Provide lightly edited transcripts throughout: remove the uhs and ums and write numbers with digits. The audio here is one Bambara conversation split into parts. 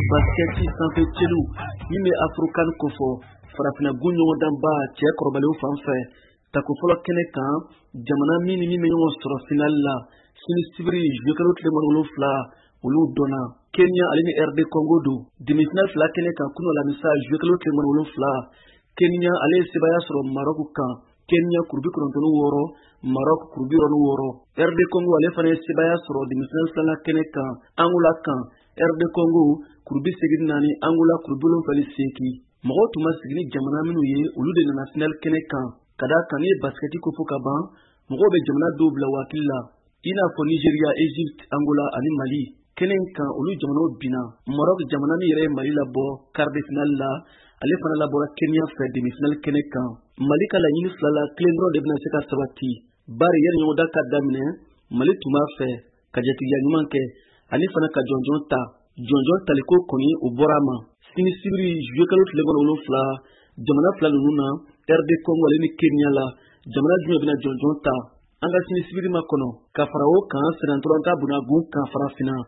Basikɛti sanfɛ celu min bɛ Afrocan kofɔ, farafinna gun ɲɔgɔndanba cɛ kɔrɔbalenw fan fɛ, tako fɔlɔ kɛnɛ kan, jamana min ni min bɛ ɲɔgɔn sɔrɔ final la sini sibiri juillet kalo tile 27, olu dɔnna. Kenya ale ni RD Congo don. Demi-finale fila kɛnɛ kan kunu alamisa juillet kalo tile 27, Kenya ale ye sebaya sɔrɔ Maroc kan, Kenya 96, Maroc 66. RD Congo ale fana ye sebaya sɔrɔ demi-finale filanan kɛnɛ kan Angola kan, RD Congo 84, Angola 78. Mɔgɔw tun ma sigi ni jamana minnu ye, olu de nana final kɛnɛ kan. Ka d'a kan n'i ye basikɛti ko fɔ ka ban, mɔgɔw bɛ jamana dɔw bila u hakili la, i n'a fɔ Nigeria, Egypte, Angola ani Mali. Kɛnɛ in kan, olu jamanaw binna. Maroc jamana min yɛrɛ ye Mali labɔ quart de finale la, ale fana labɔra Kenya fɛ demi-finale kɛnɛ kan. Mali ka laɲini fila la, kelen dɔrɔn de bɛna se ka sabati, bari yanni ɲɔgɔndan ka daminɛ, Mali tun b'a fɛ ka jatigiya ɲuman kɛ ani fana ka jɔnjɔn ta. Jɔnjɔn taliko kɔni, o bɔra a ma. Sini sibiri juillet kalo tile 27, jamana fila ninnu na, RD Congo ale ni Kenya la, jamana jumɛn bɛna jɔnjɔn ta? An ka sini sibiri ma kɔnɔ. Ka fara o kan, sennantolatan bunagun kan farafinna,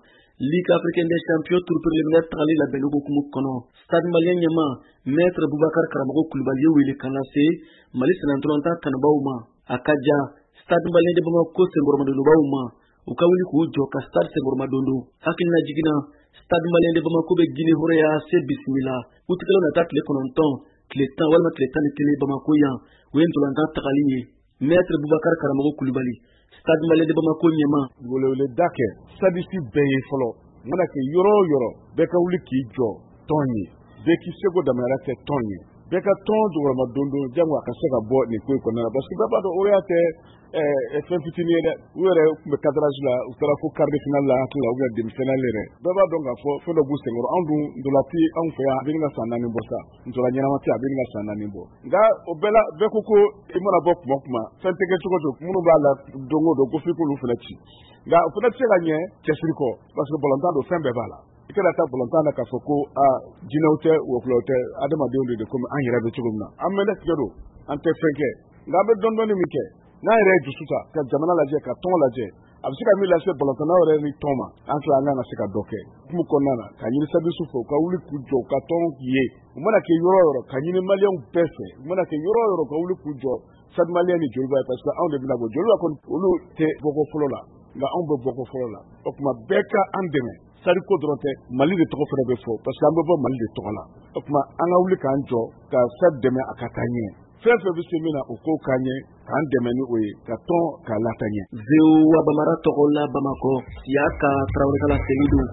Ligue africaine des champions tour préliminaire tagali labɛnni hukumu kɔnɔ, Stade Malien ɲɛma Maître Boubacar Karamɔgɔ Kulubali ye wele kan lase Mali sennantolatan kanubaw ma. A ka ja Stade Malien de Bamako senkɔrɔmadonbaw ma, u ka wuli k'u jɔ ka stade senkɔrɔmadon. Hakilina jiginna, Stade Malien de Bamako bɛ Guinée hɔrɔnya se bisimila utikalo nata tile 9, tile 10 walima tile 11 Bamako yan. O ye ntolantan tagali ye. Maître Boubacar Karamɔgɔ Kulubali, Stade Malien de Bamako ɲɛma. Weleweleda kɛ stadiste bɛɛ ye fɔlɔ, mana kɛ yɔrɔ o yɔrɔ, bɛɛ ka wuli k'i jɔ tɔn ye, bɛɛ k'i seko damayɔrɔ kɛ tɔn ye, bɛɛ ka tɔn jɔyɔrɔma don don jango a ka se ka bɔ nin ko in kɔnɔna la, parce que bɛɛ b'a dɔn o tɛ fɛn fitinin ye dɛ. U yɛrɛ tun bɛ cadrage la, u taara fo quart de finale la hakili la ou bien demi finale yɛrɛ. Bɛɛ b'a dɔn k'a fɔ fɛn dɔ b'u senkɔrɔ. Anw dun, ntola tɛ anw fɛ yan, a bɛ ka san 4 bɔ sa, ntola ɲɛnama tɛ, a bɛ ka san 4 bɔ. Nka o bɛɛ la, bɛɛ ko ko i mana bɔ kuma o kuma, fɛn tɛ kɛ cogo o cogo, minnu b'a la don o don ko f'i k'olu fana ci. Nka o fana tɛ se ka ɲɛ cɛsiri kɔ, parce que balontan don, fɛn bɛɛ b'a la. I kana taa balontan na k'a fɔ ko aa jinɛw tɛ, wɔkulɔw tɛ, adamadenw de komi an yɛrɛ bɛ cogo min na. An mɛnɛ tigɛ don, an tɛ fɛn kɛ, nka an bɛ dɔɔni dɔɔni min kɛ, n'an yɛrɛ ye dusu ta ka jamana lajɛ, ka tɔn lajɛ, a bɛ se ka min lase balontannaw yɛrɛ ni tɔn ma, an tila an kan ka se ka dɔ kɛ. Hukumu kɔnɔna na, ka ɲini stadiste fɛ, u ka wuli k'u jɔ u ka tɔn ye, u mana kɛ yɔrɔ o yɔrɔ, ka ɲini maliyɛnw bɛɛ fɛ, u mana kɛ yɔrɔ o yɔrɔ, ka wuli k'u jɔ Stade Malien ni Joliba ye, parce que anw de bɛna bɔ. Joliba kɔni, olu tɛ bɔko fɔlɔ la, nka anw bɛ bɔko fɔlɔ la. O tuma bɛɛ ka an dɛmɛ. Stade ko dɔrɔn tɛ, Mali de tɔgɔ fana bɛ fɔ, parce que an bɛ bɔ Mali de tɔgɔ la. O tuma an ka wuli k'an jɔ ka Stade dɛmɛ a ka taa ɲɛ. Fɛn fɛn bɛ se min na, o ko k'an ɲɛ, k'an dɛmɛ ni o ye, ka tɔn k'a lataa ɲɛ. VOA Bambara tɔgɔ la Bamakɔ, Siyaka Tarawele ka laseli don.